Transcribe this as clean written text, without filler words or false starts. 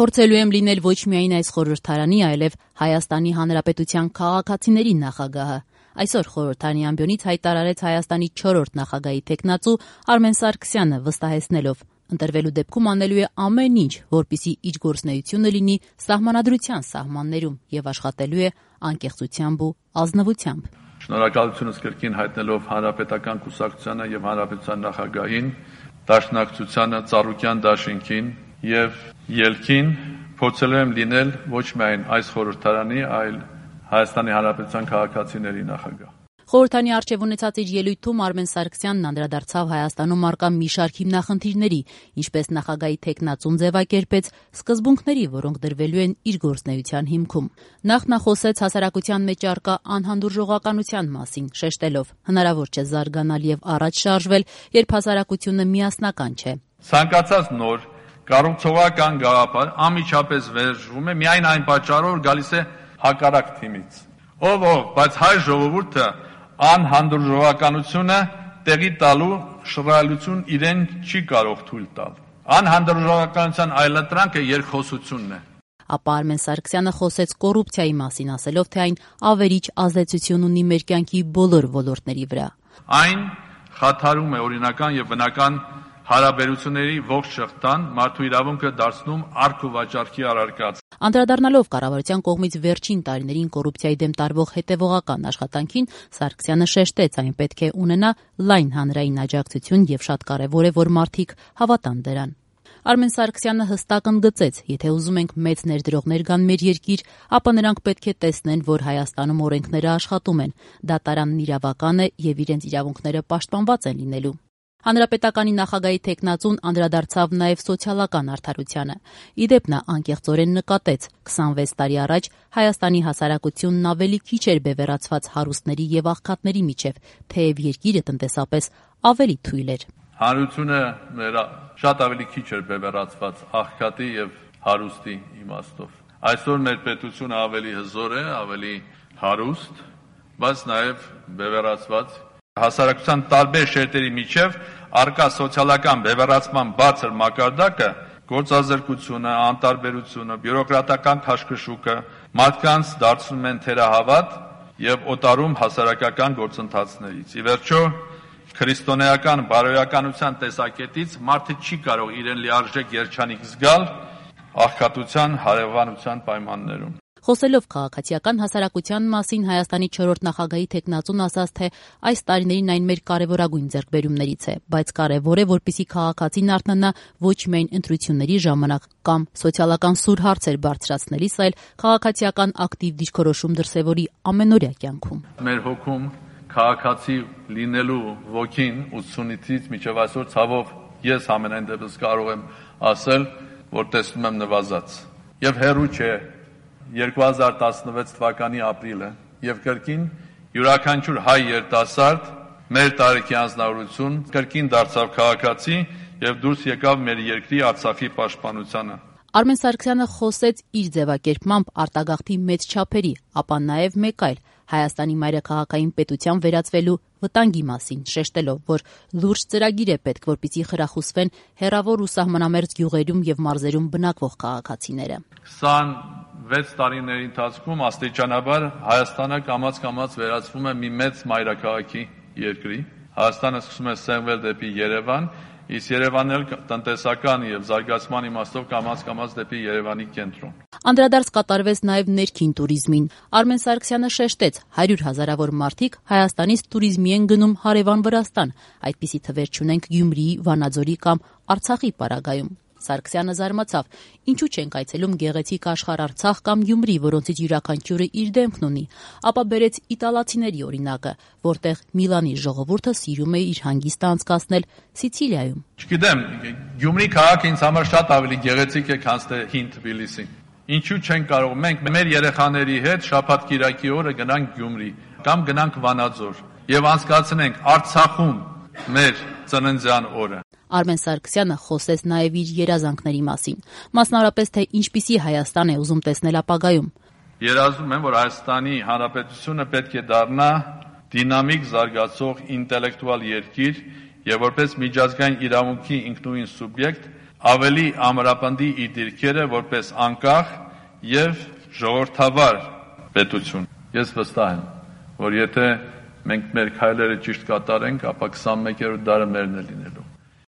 Փորձելու եմ լինել ոչ միայն այս խորհրդարանի, այլև Հայաստանի Հանրապետության քաղաքացիների նախագահը։ Այսօր խորհրդարանի ամբիոնից հայտարարեց Հայաստանի 4-րդ նախագահի թեկնածու Արմեն Սարգսյանը, վստահեցնելով. ընտրվելու դեպքում անելու է ամեն ինչ, որպեսզի իր գործունեությունը լինի սահմանադրության սահմաններում եւ աշխատելու է անկեղծությամբ ու ազնվությամբ։ Շնորհակալությունս կրկին հայտնելով Հանրապետական կուսակցությանը եւ Հանրապետության նախագահին, Դաշնակցությանը, Ծառուկյան դաշինքին եւ ելքին փորձելու եմ լինել ոչ միայն այս խորհրդարանի, այլ Հայաստանի Հանրապետության քաղաքացիների նախագահ։ Խորհրդարանի առջև ունեցած իր ելույթում Արմեն Սարգսյանն անդրադարձավ Հայաստանում առկա մի շարք հիմնախնդիրների, ինչպես նախագահի թեկնածուն ձևակերպեց, սկզբունքների, որոնք դրվելու են իր գործունեության հիմքում։ Նախ նա խոսեց հասարակության մեջ առկա անհանդուրժողականության մասին, շեշտելով. հնարավոր չէ զարգանալ եւ առաջ շարժվել, երբ հասարակությունը միասնական չէ։ Ցանկացած նոր կառուցողական գաղափար անմիջապես վերժվում է միայն այն պատճառով, որ գալիս է հակառակ թիմից։ Ով, բայց հայ ժողովուրդը անհանդուրժողականությունը տեղի տալու շռայլություն իրեն չի կարող թույլ տալ։ Անհանդուրժողականության այլընտրանքը երկխոսությունն է։ Ապա Արմեն Սարգսյանը խոսեց կոռուպցիայի մասին, ասելով, թե այն ավերիչ ազդեցություն ունի մեր կյանքի բոլոր ոլորտների վրա։ Այն խաթարում է օրինական եւ բնական հարաբերությունների ողջ շղթան, մարդու իրավունքը դարձնում արք ու վաճառքի առարկած։ Անդրադառնալով կառավարության կողմից վերջին տարիներին կոռուպցիայի դեմ տարվող հետևողական աշխատանքին, Սարգսյանը շեշտեց, այն պետք է ունենա լայն հանրային աջակցություն եւ շատ կարեւոր է, որ մարդիկ հավատան դրան։ Արմեն Սարգսյանը հստակ ընդգծեց, եթե ուզում ենք մեծ ներդրողներ գան մեր երկիր, ապա նրանք պետք է տեսնեն, որ Հայաստանում օրենքները աշխատում են, դատարանն իրավական է եւ իրենց իրավունքները պաշտպանված են լինելու։ Հանրապետականի նախագահի թեկնածուն անդրադարձավ նաև սոցիալական արդարությանը։ Իդեպ նա անկեղծորեն նկատեց. 26 տարի առաջ Հայաստանի հասարակությունն ավելի քիչ էր բևեռացված հարուստների եւ աղքատների միջև, թեև երկիրը տնտեսապես ավելի թույլ էր։ Հանրությունը շատ ավելի քիչ էր բևեռացված աղքատի եւ հարուստի իմաստով։ Այսօր մեր պետությունը ավելի հզոր է, ավելի հարուստ, բայց նաև բևեռացված հասարակության տարբեր շերտերի միջև առկա սոցիալական բևեռացման բարձր մակարդակը, գործազրկությունը, անտարբերությունը, բյուրոկրատական քաշքշուկը մարդկանց դարձնում են թերահավատ եւ օտարում հասարակական գործընթացներից։ Ի վերջո, քրիստոնեական բարոյականության տեսակետից մարդը չի կարող իրեն լիարժեք երջանիկ զգալ աղքատության, հարևանության պայմաններում։ Խոսելով քաղաքացիական հասարակության մասին Հայաստանի 4-րդ նախագահի թեկնածուն ասաց, թե այս տարիներին այն մեր կարևորագույն ձեռքբերումներից է, բայց կարևոր է, որպեսզի քաղաքացին արթնանա ոչ միայն ընտրությունների ժամանակ կամ սոցիալական սուր հարցեր բարձրացնելիս, այլ քաղաքացիական ակտիվ դիրքորոշում դրսևորի ամենօրյա կյանքում։ Մեր հոգում քաղաքացի լինելու ոգին 80-ից մինչև այսօր ցավով ես ամենայն դեպս կարող եմ ասել, որ տեսնում եմ նվազած։ Եվ հեռու չէ 2016 թվականի ապրիլը եւ կրկին յուրաքանչյուր հայ երիտասարդ մեր տարիքի անձնավորություն կրկին դարձավ քաղաքացի եւ դուրս եկավ մեր երկրի Արցախի պաշտպանությանը։ Արմեն Սարգսյանը խոսեց իր ձևակերպմամբ արտագաղթի մեծ չափերի, ապա նաեւ մեկ այլ Հայաստանի մայրաքաղաքային պետության վերածվելու վտանգի մասին, շեշտելով, որ լուրջ ծրագիր է պետք, որպեսզի խրախուսվեն հեռավոր ու սահմանամերձ գյուղերում եւ մարզերում բնակվող քաղաքացիները։ 26 տարիների ընթացքում աստիճանաբար Հայաստանը կամաց-կամաց վերածվում է մի մեծ մայրաքաղաքի երկրի։ Հայաստանը սկսում է սեղմվել դեպի Երևան, իսկ Երևանն էլ տնտեսական եւ զարգացման իմաստով կամաց-կամաց դեպի Երևանի կենտրոն։ Անդրադարձ կատարվեց նաև ներքին туриզմին։ Արմեն Սարգսյանը շեշտեց, 100 հազարավոր մարդիկ Հայաստանից туриզմի են գնում հարևան Վրաստան, այդպիսի թվեր չունենք Գյումրիի, Վանաձորի կամ Արցախի պարագայում։ Սարգսյանը զարմացավ. ինչու չենք այցելում գեղեցիկ աշխարհ Արցախ կամ Գյումրի, որոնցից յուրաքանչյուրը իր դեմքն ունի, ապա բերեց իտալացիների օրինակը, որտեղ Միլանի ժողովուրդը սիրում է իր հանգիստը անցկացնել Սիցիլիայում։ Չգիտեմ, Գյումրի քաղաքը ինձ համար շատ ավելի գեղեցիկ է, քան թե հին Թբիլիսին։ Ինչու չենք կարող մենք մեր երեխաների հետ շաբաթ-կիրակի օրը գնանք Գյումրի կամ գնանք Վանաձոր եւ անցկացնենք Արցախում մեր ծննդյան օրը։ Արմեն Սարգսյանը խոսեց նաև իր երազանքների մասին, մասնավորապես թե ինչպիսի Հայաստան է ուզում տեսնել ապագայում։ Երազում եմ, որ Հայաստանի Հանրապետությունը պետք է դառնա դինամիկ զարգացող ինտելեկտուալ երկիր եւ որպես միջազգային իրավունքի ինքնուրույն սուբյեկտ ավելի ամրապնդի իր դիրքերը որպես անկախ եւ ժողովրդավար պետություն։ Ես վստահ եմ, որ եթե մենք մեր քայլերը ճիշտ կատարենք, ապա 21-րդ դարը մերն է լինելու։